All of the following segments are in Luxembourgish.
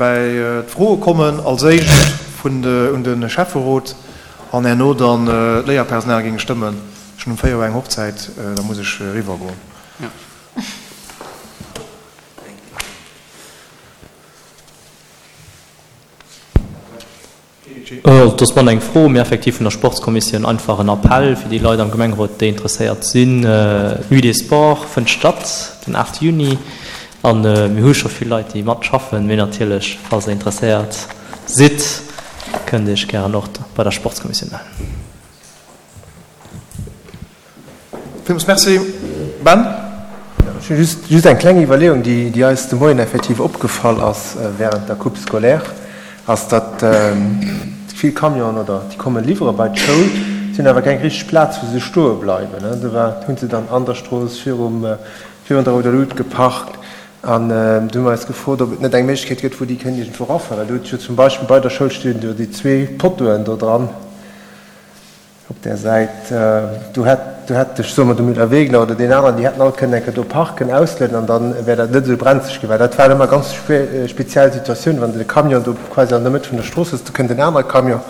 Bäi d'Froe kommen, als éischt vun de un de Schäfferot an herno dann d'Léierpersonal géing stëmmen. Ech hunn um 4 Auer eng Hochzäit, da muss ech eriwwer goen. Et ass manner eng Fro, mee effektiv vun der Sportskommissioun einfach en Appell fir déi Leit am Gemengerot, déi interesséiert sinn. D'Nuit des Sports fënnt statt den 8 Juni a mir hu scho vill Leit, déi matschaffen. Mee natierlech, falls der interesséiert sidd, kënnt Iech gären och bei der Sportskommissioun mellen. Villmools Merci, Ben. Ech hu just, just eng kleng Iwwerleeung, déi, déi eis de Moien effektiv opgefall ass während der Coupe scolaire, ass, datt vill Camionen oder déi komme liwwere bei d'Schoul, si hunn awer keng richteg Plaz, wou se stoe bleiwen. Do war, hu se dann an der Strooss virum, virun der Rouder Lut geparkt. An du hu mer eis gefrot, ob et net eng Méiglechkeet gëtt, wou déi kënnen iergendwou erafueren. Well do huet jo zum Beispill bei der Schoul stinn jo déi zwee Pottoen do dran. Op där Säit, do hätt, do hätt, ech soe mer, de Müller-Wegner oder deen aneren, déi hätten all kënnen eng Kéier do parken, auslueden an da wär dat net esou brenzeg ginn. Well dat waren ëmmer ganz speziell Situatiounen, wann de Camion do quasi an der Mëtt vun der Strooss ass, do kënnt en anere Camion.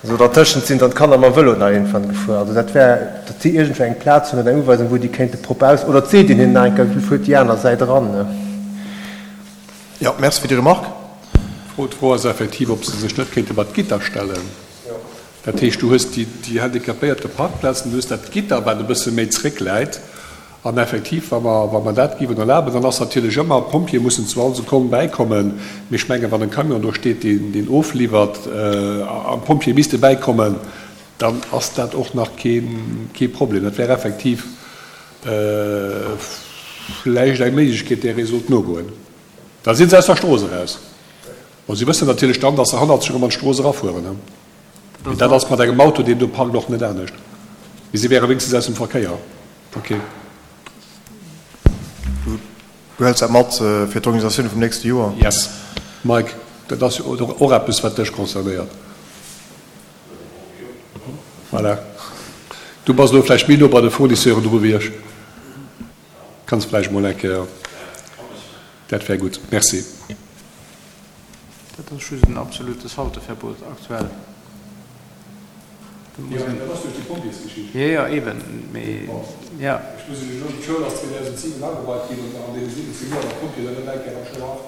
Also dertëschent sinn dann d'Kanner mam Vëlo nach iergendwann gefuer. Also dat wär, datt si iergendwou eng Plaz hunn oder eng Uweisung, wou déi kéinte propper aus, oder et seet een hinnen nach eng Kéier, fuert déi aner Säit eran. Jo, merci fir déi Remarque. D'Fro, d'Fro ass effektiv, ob se sech net kéinte mat Gitter stellen. Dat heescht, du hues déi handicapéierte Parkplazen, du hues dat Gitter, wat e bësse méi zréckläit. An effektiv, wa mer, wa mer dat géiwen erlaben, dann ass natierlech ëmmer, d'Pompjeeë mussen zu all Sekonn bäikommen. Mee ech mengen, wann en Camion do steet, deen, deen ofliwwert, an d'Pompjeeë misste bäikommen, dann ass dat och nach keen, kee Problem. Dat wär effektiv vläicht eng Méiglechkeet, där ee sollt nogoen. Da si se aus der Strooss eraus. Bon, si wëssen natierlech dann, dass se hannert sech erëm an d'Strooss erafueren. Mee dat ass mat engem Auto, deen do parkt, och net anescht. Mee si wäre wéinstens aus dem Verkéier. Ok. Du hëls dat mat fir d'Organisatioun vum nächste Joer? Yes. Mike, dat ass jo och eppes, wat dech concernéiert. Voilà. Du bass elo vläicht méi no bei de Fournisseuren dru wéi ech. Kanns vläicht mol eng Kéier. Dat wär gutt. Merci. Dat ass just en absolutes Halteverbot aktuell. Jo, mee dat ass duerch déi Pompjeesgeschicht. Jo, jo, eben, mee jo. Ech muss Iech elo, d'Schoul ass 2007 ageweit ginn an an deene 17 Joer war d'Pompjee dann net eng Kéier am Schoulhaff.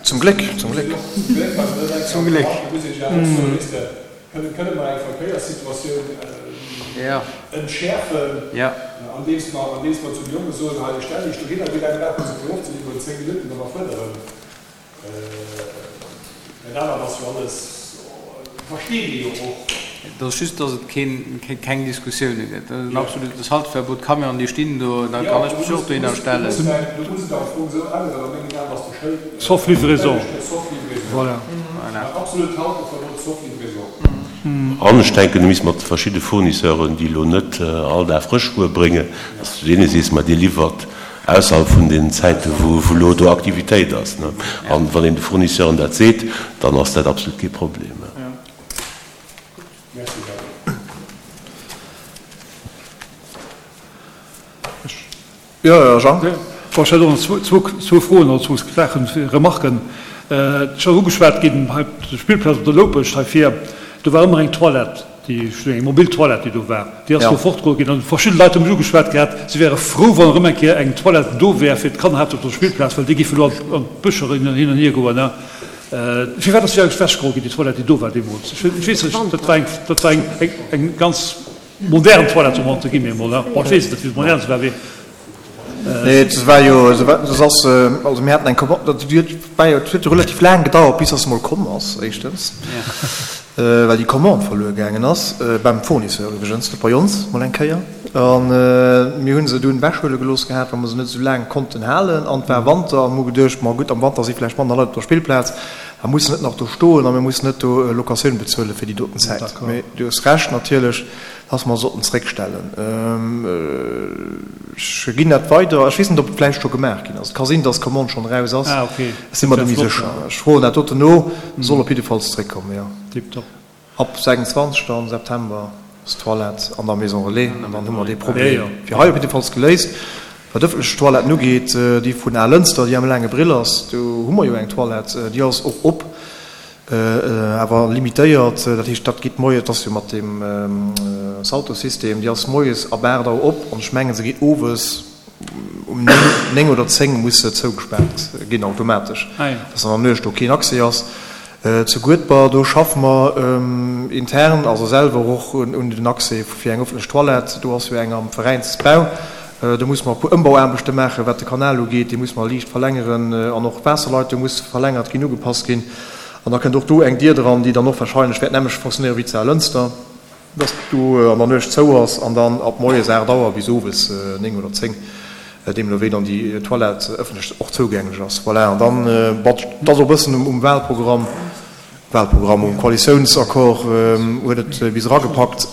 Zum Gléck, zum Gléck. Zum Gléck war se net eng Kéier am Schoulhaff. Da muss een sech awer och soen, weess de, kënne, kënne mer eng Verkéierssituatioun entschäerfen, andeems mer, andeems mer zu de Jonge soen, hei, stellt Iech dohinner, wéi laang brauche se fir ofzeliwweren? 10 Minutten, da mer fuerderen. Dat anert ass jo alles, versteet ee jo och. Et ass just, dass et keen, keng Diskussioune gëtt. Dat ass en absolutes Halteverbot. D'Camionen, déi stinn do, da kann ech mech och dohinner stellen. Do muss et am Fong esou änneren, a mengen Aen ass de Schëld. Sauf livraison. Sauf livraison. Voilà. Absolut Halteverbot sauf livraison. An ech denken, du misst mat verschidde Fournisseuren, déi elo net all Dag Frëschwuer bréngen, dass du deene sees, ma dir liwwert Ausserhalb vun den Zäiten, wou elo do Aktivitéit ass. An wann een de Fournisseuren dat seet, dann ass dat absolut kee Problem. Jo, Jean? Bon, ech hätt och nach zwou Froen oder zwou Saachen, Remarken. Et ass ugeschwat ginn hei op der Spillplaz op der Loupescht hei vir, do war ëmmer eng Toilette. Déi eng mobil Toilette, déi do war, déi ass do fortgeholl ginn. An verschidde Leit hu mech ugeschwat gehat, si wäre frou, wann erëm eng Kéier eng Toilette do wär fir d'Kanner haaptsächlech op der Spillplaz, well déi géifen elo an d'Bëscher hin an hier goen. Firwat ass déi eigentlech ewechgeholl ginn, déi Toilette, déi do war deemools? Ech weess net, dat war eng, dat war eng, eng ganz modern Toilette, soe mer entre guillemets emol. Bon, ech weess et net, wéi modern se war, mee. Nee, et war jo, et ass, also mir haten eng Commande, dat war jo, et huet jo relativ laang gedauert, bis dass se mol komm ass, éischtens, well déi Commande verluer gaangen ass, beim Fournisseur iwwregens, net bei ons, mol eng Kéier. A mir hu se dunn ewechhuele gelooss gehat, well mer se net esou laang konnten halen. An et war Wanter a mir hu geduecht, ma gutt, am Wanter si vläicht manner Leit op der Spillplaz, da muss se net nach do stoen a mir mussen net do Locatioun bezuele fir déi doten Zäit. Mee du hues Recht natierlech. Dass mer sollten zréckstellen. Ech ginn dat weider. Ech weess net, ob et vläicht scho gemaach ginn ass. Et ka sinn, dass d'Commande schonn eraus ass. Ech si mer net méi sécher. Ech froen dat doten no. Soll op jiddefalls zréckkommen, jo. Ab 26 dann September ass d'Toilette an der Maison Relais. An dann hu mer dee Problem fir hei op jiddefalls geléist. Wat d'ëffentlech Toiletten ugeet, déi vun Alënster, déi am Laange Brill ass, do hu mer jo eng Toilette, déi ass och op, awer limitéiert. Dat heescht, dat geet moies, dat ass jo mat deem Salto-System, déi ass moies ab 8 Auer op an ech mengen, se geet owes um 9 oder 10 muss se zougespaart ginn automatesch, dass an der Nuecht do keen Accès ass. Zu Guedber, do schaffe mer intern, also selwer och un den Accès fir eng ëffentlech Toilette. Do ass jo eng am Veräinsbau. Do musse mer e puer Ëmbauaarbechte maachen, wat de Kanal ugeet. Dee musse mer liicht verlängeren an och d'Waasserleitung muss verlängert ginn, ugepasst ginn. An da kënnt och do eng Dier dran, déi dann och wahrscheinlech wäert nämmlecht fonctionnéiere wéi zu Alënster, dass do an der Nuecht zou ass an dann ab moies 8 Auer bis owes 9 oder 10, deemno wéi dann déi Toilette ëffentlech och zougänglech ass. Voilà, an dann, bon, et ass och e bëssen um Wahlprogramm, Wahlprogramm, um Koalitiounsaccord huet et bis eragepackt,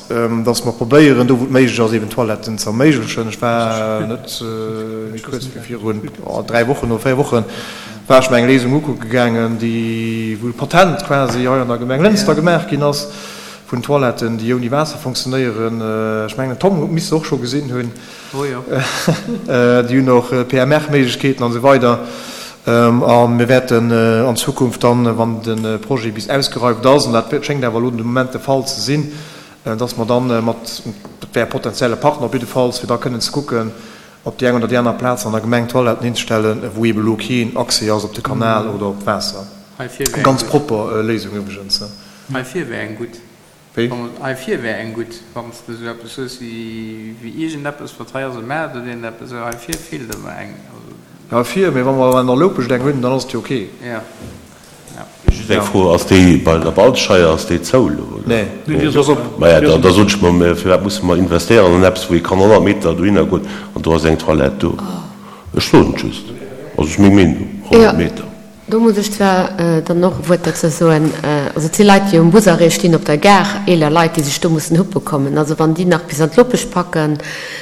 dass mer probéieren, do wou et méiglech ass, eben Toiletten ze erméiglechen. Ech war net méi kuerz wéi virun 3 Wochen oder 4 Wochen, war ech mer eng Léisung ukucke gaangen, déi, wou e Patent quasi hei an der Gemeng Lënster gemaach ginn ass, vun Toiletten, déi ouni Waasser fonctionnéieren. Ech mengen, den Tom misst se och scho gesinn hunn. Déi hunn och PMR-Méiglechkeeten an esou weider. A mir wäerten an Zukunft dann, wann de Projet bis ausgereift ass, an dat schéngt awer elo de Moment de Fall ze sinn, dass mer dann mat, dat wär e potenzielle Partner op jiddefalls, fir da kënnen ze kucken, op déi eng oder déi aner Plaz an der Gemeng Toiletten hinzestellen, wou eeben elo keen Accès ass op de Kanal oder op d'Waasser. Eng ganz propper Léisung iwwregens. Heivir wär eng gutt. Wéi? Hei vir wär eng gutt, wann s de esou eppes hues wéi iergendeppes, wat hei ass e Maart oder iergendeppes esou. Hei vir feelt ëmmer eng. Jo, hei vir, mee wa mer an der Loupescht eng hunn, dann ass et jo ok. Jo, jo. Just eng Fro, Ass déi bei der Waldscheier, ass déi zou elo, oder? Nee, déi ass op. Maja, da da sot ech mer, mä firwat musse mer investéieren an eppes, wou ee kann 100 Meter dohinner goen an do ass eng Toilette do? Ech soen et just, also ass meng Meenung, 100 Meter. Do muss ech zwar dann och e Wuert dozou soen. Also et si Leit, déi um Busarrêt stinn op der Gare, eeler Leit, déi sech do mussen huppe kommen. Also wann déi nach bis an d'Lopesch packen,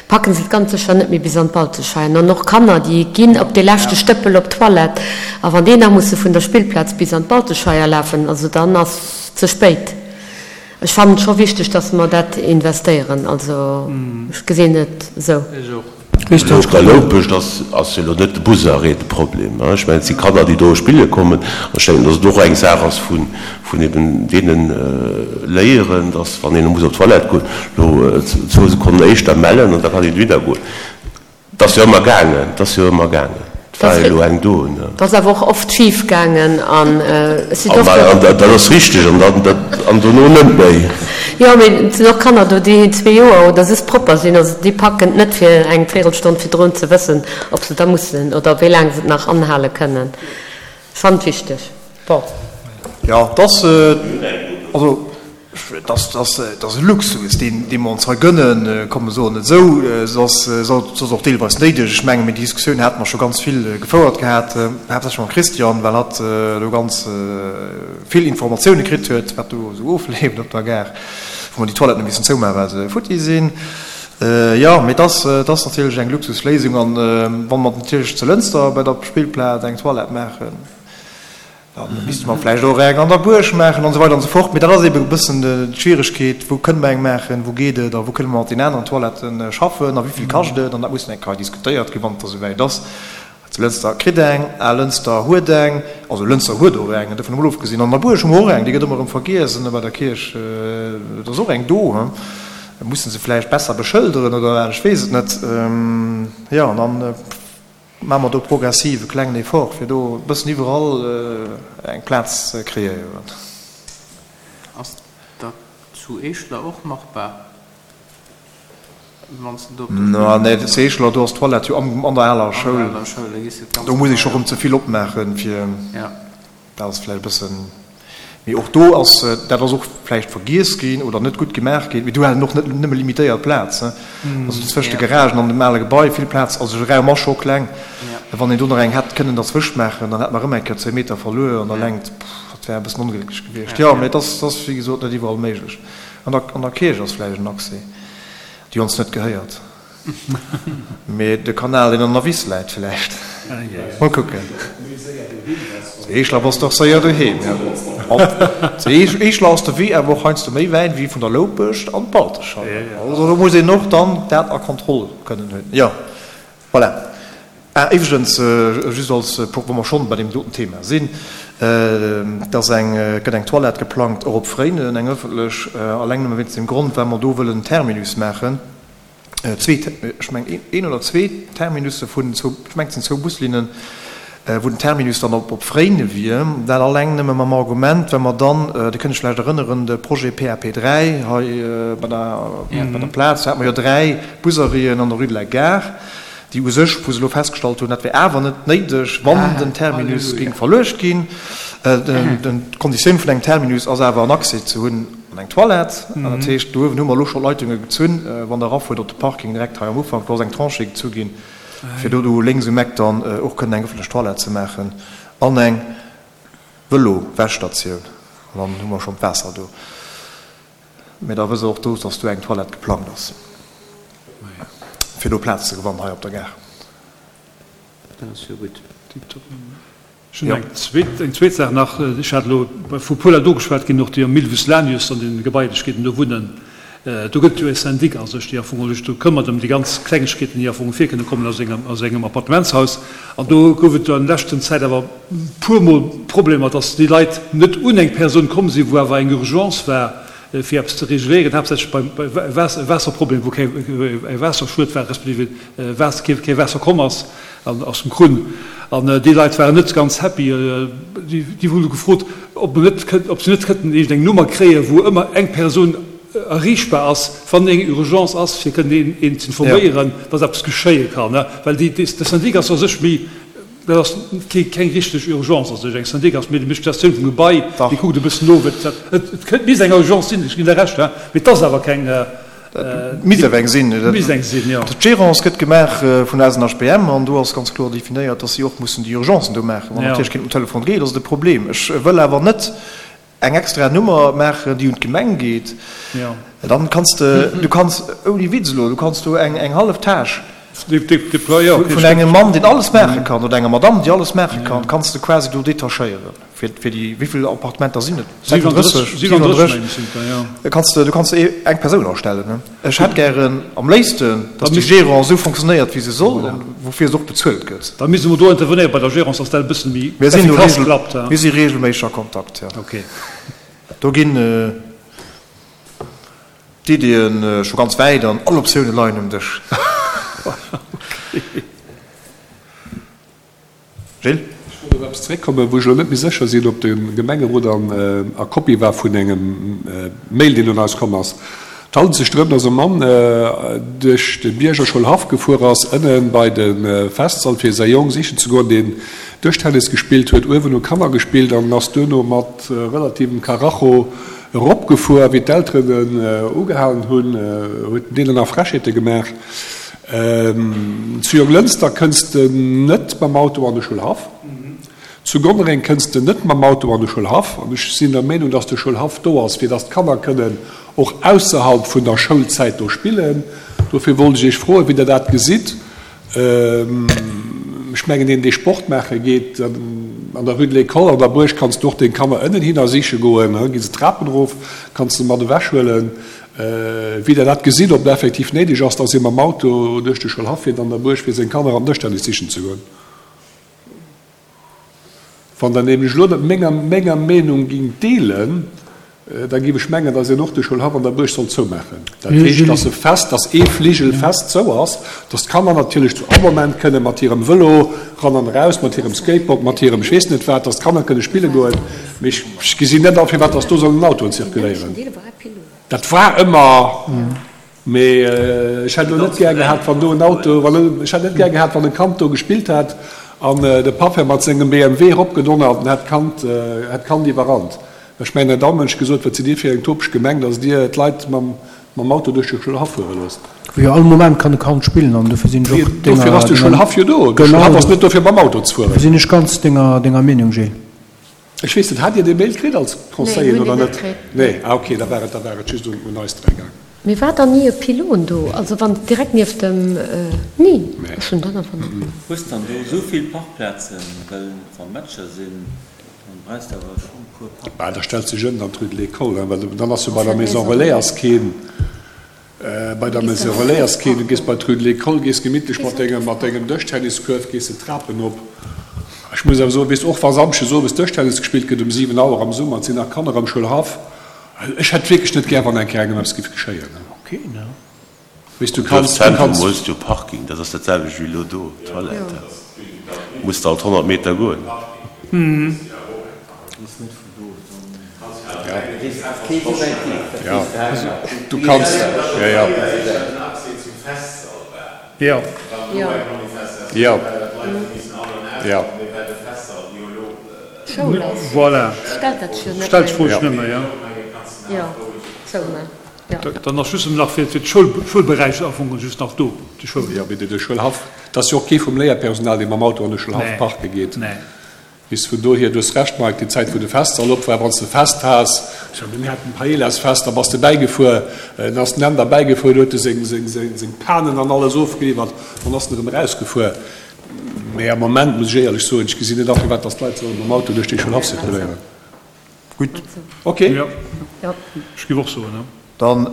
packen se et ganz sécher net méi bis an d'Balzescheier. An och Kanner, déi ginn op dee leschte Stëppel op d'Toilette. A wann déi nach musse vun der Spillplaz bis an d'Balzescheier lafen, also dann ass ze spéit. Ech fannen et scho wichteg, dass mer dat investéieren. Also ech gesinn et esou. Ech och. Elo op der Loupescht ass jo elo net de Busarrêt de Problem. Ech mengen, et si Kanner, déi do spille kommen. An ech denken, datt et och eng Saach ass vun eben deene Léieren, datt wann een muss op d'Toilette goen, elo zwou Sekonnen éischter mellen an da kann een dohinner goen. Et ass jo ëmmer gaangen, et ass jo ëmmer gaangen. Et war jo elo eng do, ne? Et ass awer och oft schif gaangen an ech sinn och. An dat ass richteg, an dann, an dono net méi. Jo, mee et sinn och Kanner do, déi zwee Joer oder soss propper sinn. Also déi packen et net fir eng Véirelstonn virdrun ze wëssen, ob se da mussen oder wéi laang se et nach anhale kënnen. Ech fannen et wichteg. Bon. Jo, et ass, also Et ass e Luxus, dee mer ons hei gënnen, komm mer soen et esou. Et ass soss och deelweis néideg. Ech menge mir déi Diskussioun hate mer scho ganz vill gefouert gehat, haaptsächlech mam Christian, well hatt do ganz vill Informatioune kritt huet, wat do esou ofleeft op der Gare, wou mer déi Toiletten hu missen zoumaachen, well se futti sinn. Jo, mee et ass natierlech eng Luxusléisung. An wa mer natierlech zu Lënster bei der Spillplaz eng Toilette maachen, Da misste mer vläicht och eng an der Buerg maachen an esou weider an esou fort. Mee dat ass eebe e bëssen d'Schwieregkeet, Wou kënne mer eng maachen, wou geet et a wou kënne mer mat den aneren Toiletten schaffen a wéi vill kascht et? An dat muss dann eng Kéier diskutéiert ginn, wann et da souwäit ass. Also Lënster kritt eng, Al-Lënster huet eng, also Lënster huet och eng, dovun emol ofgesinn. An der Buerg hu mer och eng, déi gëtt ëmmer erëm vergiess. An bei der Kierch, do ass och eng do. Musse se vläicht besser beschëlderen oder wat, ech weess et net. Jo, an dann. Maache mer do progressiv e klengen Effort, fir do e bëssen iwwerall eng Plaz ze kreéieren. Ass dat zu Eeschler och machbar, wann s de do op der Spillplaz. Nee, zu Eeschler, do ass d'Toilette jo an der aler Schoul. Do muss ee scho rëm ze vill opmaachen, fir. Dat ass vläicht e bëssen, mee och do ass, dat ass och vläicht vergiess ginn oder net gutt gemaach ginn, mee do halen och net nëmme limitéiert Plaz, also zwëscht de Garagen an dem ale Gebai, vill Plaz, also de Raum ass scho kleng. Wann een do nach eng hätt kënnen derzwëscht maachen, dann hätt mer erëm eng Kéier zwéi Meter verluer an der Längt, dat wär e bëssen onglécklech gewiescht. Jo, mee et ass, wéi gesot, net iwwerall méiglech. An der, an der Kierch ass vläicht en Accès, déi ons net gehéiert. Mee de Kanal deen an der Wiss läit vläicht. Mol kucken. Zu Eeschler bass de och séier doheem. Zu Eeschler ass de Wee awer och heiansdo méi wäit wéi vun der Loupescht an d'Baltescheier. Also do muss een och dann dat a Kontroll kënnen hunn. Jo, voilà. Ah, iwwregens, just als, wa mer schonn bei deem doten Thema sinn, Et ass eng, et gëtt eng Toilette geplangt, och op Fréinen, eng ëffentlech, alleng nëmme wéinst dem Grond, well mer do wëllen en Terminus maachen, zwee, ech mengen een oder zwee Terminusse vun zwou, ech mengen et sinn zwou Buslinnen, wou den Terminus dann op op Fréine wier. Dat alleng nëmme mam Argument, well mer dann, Dir kënnt Iech vläicht erënneren, de Projet PAP 3 hei bei der, bei der Plaz, do hate mer jo 3 Busarrêten an der Rue de la Gare, déi u sech, wou se elo festgestallt hunn, dat wär awer net néideg, wann den Terminus géing verluecht ginn. D'Konditioun vun engem Terminus ass awer en Accès ze hunn an eng Toilette. An dat heescht, do uewen hu mer elo scho Leitunge gezunn, wann Der erafuert op de Parking direkt hei am Ufank, do ass eng Tranchée gezu ginn, fir do do lénks um Eck dann och kënnen eng ëffentlech Toilette ze maachen an eng Vëlo-Wäschstatioun. An dann hu mer schonn d'Waasser do. Mee da wësst Der och do, dass do eng Toilette geplangt ass, fir do Plaz ze gewannen hei op der Gare. Dat ass jo gutt. Tiptop. Ech hunn eng zweet, eng zweet Saach nach. Ech hat elo vu puer Leit ugeschwat ginn, och déi am Milvus Lanius an den Gebailechkeeten do wunnen. Do gëtt et jo e Syndic a sech, dee am Fong sech do këmmert ëm déi ganz Klengegkeeten, déi am Fong virkënne kommen a sengem, a sengem Appartementshaus. An do gouf et an leschten Zäit awer puermol Problemer, dass déi Leit net un eng Persoun komm sinn, wou awer eng Urgence war, fir eppes ze reguléieren, haaptsächlech beim Waasserproblem, wou kee Waasserschued war, respektiv kee Waasser komm ass aus dem Krunn. An déi Leit waren net ganz happy. Déi hunn gefrot, ob se net kënnten iergendeng Nummer kréien, wou ëmmer eng Persoun erreechbar ass, wann eng Urgence ass, fir kënnen een z'informéieren, dass eppes geschéie kann. Well de Syndic ass a sech méi Dat ass keng richteg Urgence a sech. Eng Syndic ass méi déi mécht d'Gestioun vum Gebai, déi kuckt e bëssen no, wat dat. Et kënnt, misst eng Urgence sinn, ech ginn der Recht, hein, mee et ass awer keng. Et misst awer eng sinn. Et misst eng sinn, jo. D'Gérance gëtt gemaach vun der SNHBM an do ass ganz kloer definéiert, dass si och mussen déi Urgencen do maachen. Wann natierlech keen um Telefon geet, ass et e Problem. Ech wëll awer net eng extra Nummer maachen, déi un d'Gemeng geet, dann kanns de, du kanns, ouni Witz elo, du kanns do eng eng hallef Tâche vun engem Mann, deen alles maache kann, oder enger Madamm, déi alles maache kann, kanns de quasi do detachéieren fir fir déi, wéi vill Appartementer sinn et? 36, 37, kanns de, du kanns de eng Persoun astellen. Ech hätt gären am léifsten, dass déi Gérance esou fonctionnéiert, wéi se soll an woufir se och bezuelt gëtt. Da misste mer do intervenéieren bei der Gérance, dass dat e bëssen méi effikass klappt. Mir si regelméisseg a Kontakt, jo. Do ginn d'Iddien scho ganz wäit an all Optioune leien um Dësch. Gilles? Ech wollt op eppes zeréckkommen, wou ech elo net méi sécher sinn, ob de Gemengerot a Kopie war vun engem Mail, deen un eis komm ass. Et handelt sech drëm, dass e Mann duerch de Bierger Schoulhaff gefuer ass, ënne bei de Festsall, fir säi Jong sichen ze goen, deen Dëschtennis gespillt huet. Uewen hu Kanner gespillt an en ass duerno mat relativem Karacho eropgefuer. Wéi d'Elteren en ugehalen hunn, huet en deenen nach Frechheete gemaach. Zu Jonglënster kënns de net mam Auto an de Schoulhaff. Zu Gonnereng kënns de net mam Auto an de Schoulhaff. An ech sinn der Meenung, dass de Schoulhaff do ass, fir dass d'Kanner kënnen och ausserhalb vun der Schoulzäit do spillen. Dofir wollt ech Iech froen, wéi Der dat gesitt. Ech mengen, deen, dee Sport maache geet, an der Rue de l'École an der Buerg kanns du och deng Kanner ënnenhinner siche goen, gi se d'Trapen erof, kanns se mat ewechhuelen. Wéi Der dat gesitt, ob et effektiv néideg ass, dass ee mam Auto duerch de Schoulhaff fiert an der Buerg, fir seng Kanner an Dëschtennis sichen ze goen. Wann Der nämlech elo net menger menger Meenung gingt deelen, da géif ech mengen, dass een och de Schoulhaff an der Buerg sollt zoumaachen. Dat heescht, dass e fest, dass ee Fligel fest zou ass, dass d'Kanner natierlech zu all Moment kënne mat hirem Vëlo ran an eraus, mat hirem Skateboard, mat hirem ech weess net wat, dass d'Kanner kënne spille goen. Mee ech gesinn net a firwat dass do sollen Autoen zirkuléieren. Dat war ëmmer, mee ech hätt elo net gär gehat, wann do en Auto, wann, ech hätt net gär gehat, wann e Kand do gespillt hätt an de Papp wär mat sengem BMW eropgedonnert an hätt d'Kand, hätt d'Kand iwwerrannt. Ech mengen, hätt all Mënsch gesot, wat sidd Dir fir eng topeg Gemeng, datt Dir d'Leit mam, mam Auto duerch de Schoulhaff fuere loosst. Wou jo all Moment kann e Kand spillen an dofir sinn ech och denger, Dofir ass de Schoulhaff jo do. De Schoulhaff ass net do fir mam Auto ze fueren. Dofir sinn ech ganz denger, denger Meenung, Gilles. Ech weess net, hat Dir dee Mail kritt als Conseiller oder net? Nee, ah ok, da war et, da war et just un eis dräi gaang. Mee war dann ni e Pylon do? Also wann direkt nieft dem, ni? Ech hunn dann awer net. Hues dann do esou vill Parkplazen, well wa Matcher sinn, dann brauchs de awer schon e puer Parkplazen. Bah, da stellt sech ënnen an d'Rue de l'École, well dann ass jo bei der Maison Relais ass keen. Bei der Maison Relais ass keen. Du gees bei d'Rue de l'École, gees gemittlech mat dengem, mat dengem Dëschtenniskuerf gees de d'Trapen op. Ech muss awer soen, weess, och wa Samschdes owes Dëschtennis gespillt gëtt um 7 Auer am Summer, et sinn nach Kanner am Schoulhaff, ech hätt wierklech net gär, wann eng Kéier engem eppes géif geschéien. Weess, du Am kanns, du Duerfzentrum kanns. hues du Parking, dat ass dat selwecht wéi elo do, Toilette, muss de alt 100 Meter goen. Ja, du kanns, ja, ja. Ja. Ja, ja. Voilà. Stellt d'Fro sech net méi, ja. Dann ass just nach fir d'Schoulberäich am Fong just nach do, de Schoul. Jo, mee de Schoulhaff, et ass jo och kee vum Léierpersonal, dee mam Auto an de Schoulhaff parke geet. Bis vun dohier, du hues Recht Mike, déi Zäit wou de Festsall op war, wann s de Fest has, ech mengen mir haten Paellasfest, da bass de bäigefuer, dann ass den Änder bäigefuer, do huet e seng seng Panen an alles ofgeliwwert, dann ass en erëm erausgefuer. Mee am Moment muss ech éierlech soen, ech gesinn net a firwat datt d'Leit solle mam Auto duerch dee Schoulhaff zirkuléieren. Gutt. Ok. Jo, ech géif och soen, jo. Dann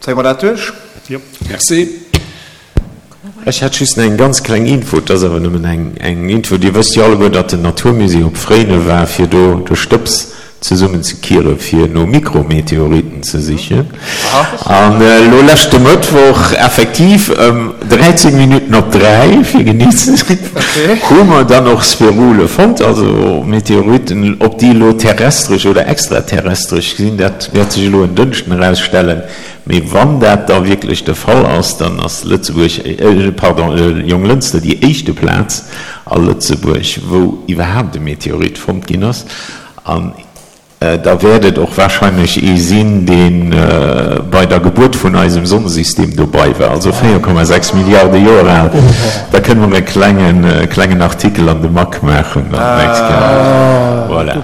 zéie mer dat duerch. Jo. Merci. Ech hätt just nach eng ganz kleng Info, et ass awer nëmmen eng eng Info. Dir wësst jo alleguer, datt den Naturmusée op Fréine war, fir do de Stëbs zesummen ze kiere fir no Mikrometeoriten ze sichen. An elo leschte Mëttwoch, effektiv ëm 13 Minutten op 3, fir genee ze sinn, hu mer dann och Sphärule fonnt, also Meteoriten. Ob déi elo terrestresch oder extraterrestresch sinn, dat wäert sech elo en Dënschden erausstellen. Mee wann dat da wierklech de Fall ass, dann ass Lëtzebuerg, pardon, Jonglënster déi éischte Plaz a Lëtzebuerg, wou iwwerhaapt e Meteorit fonnt ginn ass. An da wäert et och wahrscheinlech ee sinn, dee bei der Gebuert vun eisem Sonnesystem dobei war, also 4,6 Milliarde Joer al. Da kënne mer e klengen, klengen Artikel an de Mac maachen dann d'nächst Kéier. Voilà.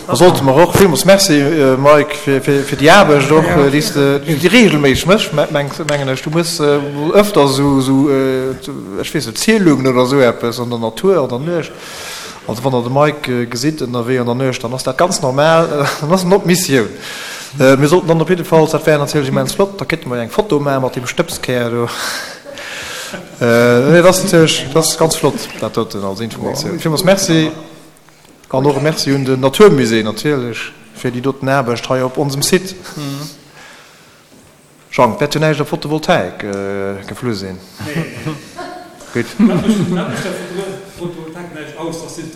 Da sollte mer och, villmools Merci Mike fir déi Aarbecht och, déi s de, déi regelméisseg méchs, mengen ech. Du méchs öfter esou, ech weess net, Zielungen oder esou eppes an der Natur, an der Nuecht. Also wann der de Mike gesitt ënnerwee an der Nuecht, dann ass dat ganz normal, dann ass en op Missioun. Mir sollten dann op jiddefalls, dat wär natierlech immens flott, da kéinte mer jo eng Foto maache mat deem Stëbskär do. Nee, dat ass natierlech, dat ass ganz flott, dat doten als Informatioun. Villmools Merci an och e Merci un den Naturmusée natierlech fir déi doten Aarbecht hei op onsem Site. Jean, wäert jo näischt op Photovoltaik geflu sinn. Gutt.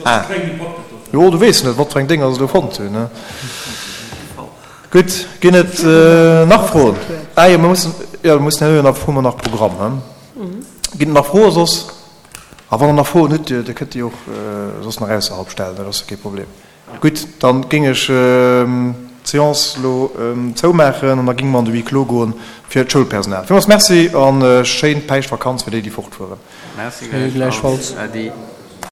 Ah. Jo, du weess net, wat fir eng Dénger se do fonnt hunn, ne? Gutt, ginn et nach Froen? Ah jo, mir mussen, jo, mir mussen herno jo nach, hu mer nach Programm, he? Ginn et nach Froe soss? A wann der nach Froen hutt, Dir kënnt déi och soss nach ausserhalb stellen, dat ass jo kee Problem. Gutt, dann géing ech d'Seance elo zoumaachen an da géinge mer an de Huis clos goen fir d'Schoulpersonal. Villmools Merci a schéin Päischtvakanz fir déi, déi fortfueren. Merci gläichfalls. Äddi.